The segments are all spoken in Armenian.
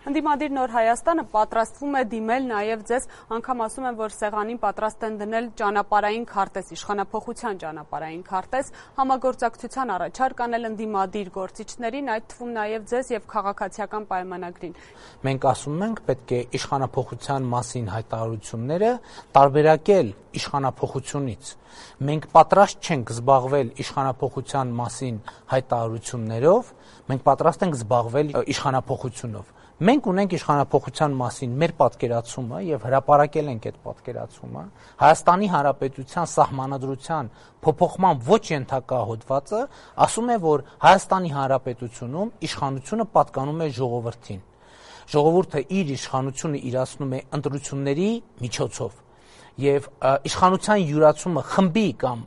Ընդդիմադիր Նոր Հայաստանը պատրաստվում է դիմել նաև ձեզ, անգամ ասում են, որ սեղանին պատրաստ են դնել ճանապարհային քարտեզ, իշխանափոխության ճանապարհային քարտեզ, համագործակցության առաջարկ անել ընդդիմադիր գործիչներին, այդ թվում նաև ձեզ եւ քաղաքացիական պայմանագրին։ Մենք ասում ենք, պետք է իշխանափոխության մասին հայտարարությունները տարբերակել իշխանափոխությունից։ Մենք պատրաստ չենք զբաղվել իշխանափոխության մասին հայտարարություններով, մենք պատրաստ ենք զբաղվել իշխանափոխությունով։ Մենք ունենք իշխանափոխության մասին մեր պատկերացումը եւ հրապարակել ենք այդ պատկերացումը։ Հայաստանի Հանրապետության սահմանադրության փոփոխման ոչ ենթակա հոդվածը ասում է, որ Հայաստանի Հանրապետությունում իշխանությունը պատկանում է ժողովրդին։ Ժողովուրդը իր իշխանությունը իրացնում է ընտրությունների միջոցով եւ իշխանության յուրացումը խմբի կամ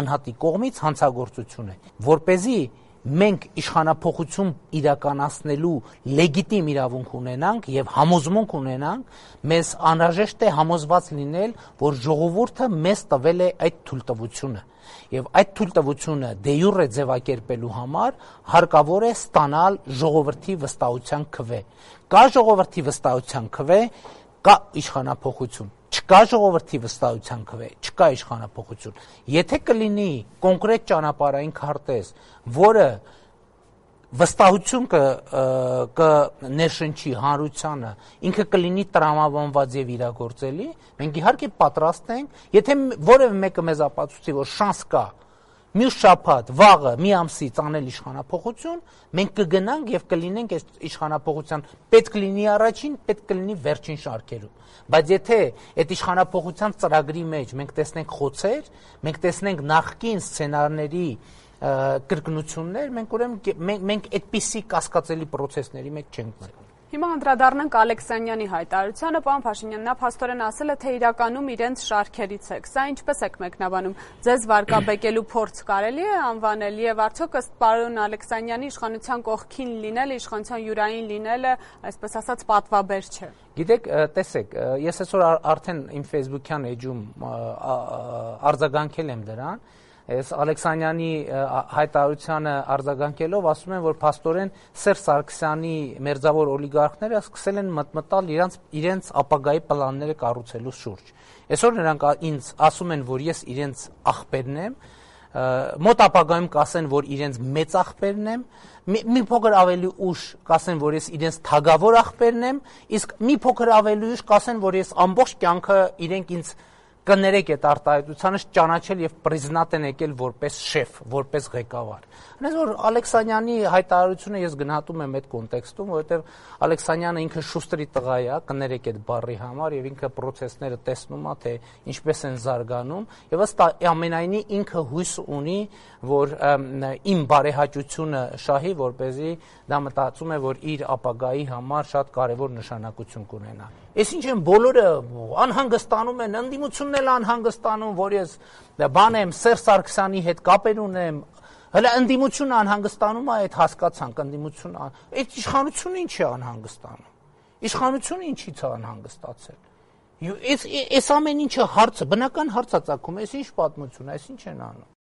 անհատի կողմից հանցագործություն է, որպեսզի մենք իշխանափոխություն իրականացնելու լեգիտիմ իրավունք ունենանք եւ համոզմունք ունենանք, մեզ անհրաժեշտ է համոզված լինել, որ ժողովուրդը մեզ տվել է այդ թույլտվությունը եւ այդ թույլտվությունը դե յուրե ձևակերպելու համար հարկավոր է ստանալ ժողովրդի վստահության քվե։ Կա ժողովրդի վստահության քվե, կա իշխանափոխություն։ Չկա ժողովրդի վստահության քվե, չկա իշխանափոխություն։ Եթե կլինի կոնկրետ ճանապարհային քարտեզ, որը վստահություն կներշնչի հանրությանը, ինքը կլինի տրամաբանված եւ իրագործելի, մենք իհարկե պատրաստ ենք, եթե որևէ մեկը մեզ ապացուցի, որ շանս կա մյուս շաբաթ, վաղը, մի ամսից անել իշխանափոխություն, մենք կգնանք եւ կլինենք այս իշխանափոխության պետք լինի առաջին, պետք կլինի վերջին շարքերում։ Բայց եթե այդ իշխանափոխության ծրագրի մեջ մենք տեսնենք խոցեր, մենք տեսնենք նախկին սցենարների կրկնություններ, մենք այդպիսի կասկածելի պրոցեսների մեջ չենք մտնում։ Հիմա անդրադառնանք Ալեքսանյանի հայտարարությանը, պարոն Փաշինյան, նա փաստորեն ասել է, թե իրականում իրենց շարքերից եք։ Սա ինչպես եք մեկնաբանում։ Ձեզ վարկաբեկելու փորձ կարելի է անվանել եւ արդյոք ըստ պարոն Ալեքսանյանի իշխանության կողքին լինելը, իշխանության յուրային լինելը, այսպես ասած, պատվաբեր չէ։ Գիտեք, տեսեք, ես այսօր արդեն իմ Facebook-յան էջում արձագանքել եմ դրան։ Այս Ալեքսանյանի հայտարարությանը արձագանքելով ասում են, որ փաստորեն Սերժ Սարգսյանի մերձավոր օլիգարխները սկսել են մտմտալ իրենց ապագայի պլանները կառուցելու շուրջ։ Այսօր նրանք ինձ ասում են, որ ես իրենց աղբերն եմ, մոտ ապագայում կասեն, որ իրենց մեծ աղբերն եմ, մի փոքր ավելի ուշ կասեն, որ ես իրենց թագավոր աղբերն եմ, իսկ մի փոքր ավելի ուշ կասեն, որ ես ամբողջ կյանքը իրենք ինձ կներեք այդ արտահայտությանը ճանաչել եւ պրիզնատ են եկել որպես շեֆ, որպես ղեկավար։ Այնպես որ Ալեքսանյանի հայտարարությունը ես գնահատում եմ այդ կոնտեքստում, որովհետեւ Ալեքսանյանը ինքը շուստրի տղա է, կներեք այդ բառի համար եւ ինքը process-ները տեսնում է, թե ինչպես են զարգանում եւ ըստ ամենայնի ինքը հույս ունի, որ իմ բարեհաճությունը շահի, որպեսզի դա մտածում է, որ իր ապագայի համար շատ կարեւոր նշանակություն կունենա։ Ես ինչ եմ բոլորը անհանգստանում են, ընդդիմությունն էլ անհանգստանում, որ ես բան եմ Սերժ Սարգսյանի հետ կապեր ունեմ, հələ ընդդիմությունը անհանգստանում է, այդ հասկացանք, ընդդիմությունը, այդ իշխանությունը ինչ է անհանգստանում։ Իշխանությունը ինչի՞ց է անհանգստացել։ Այս ամեն ինչը հարցը, բնական հարց է ծագում, այս ինչ պատմություն է, այս ինչ են անում։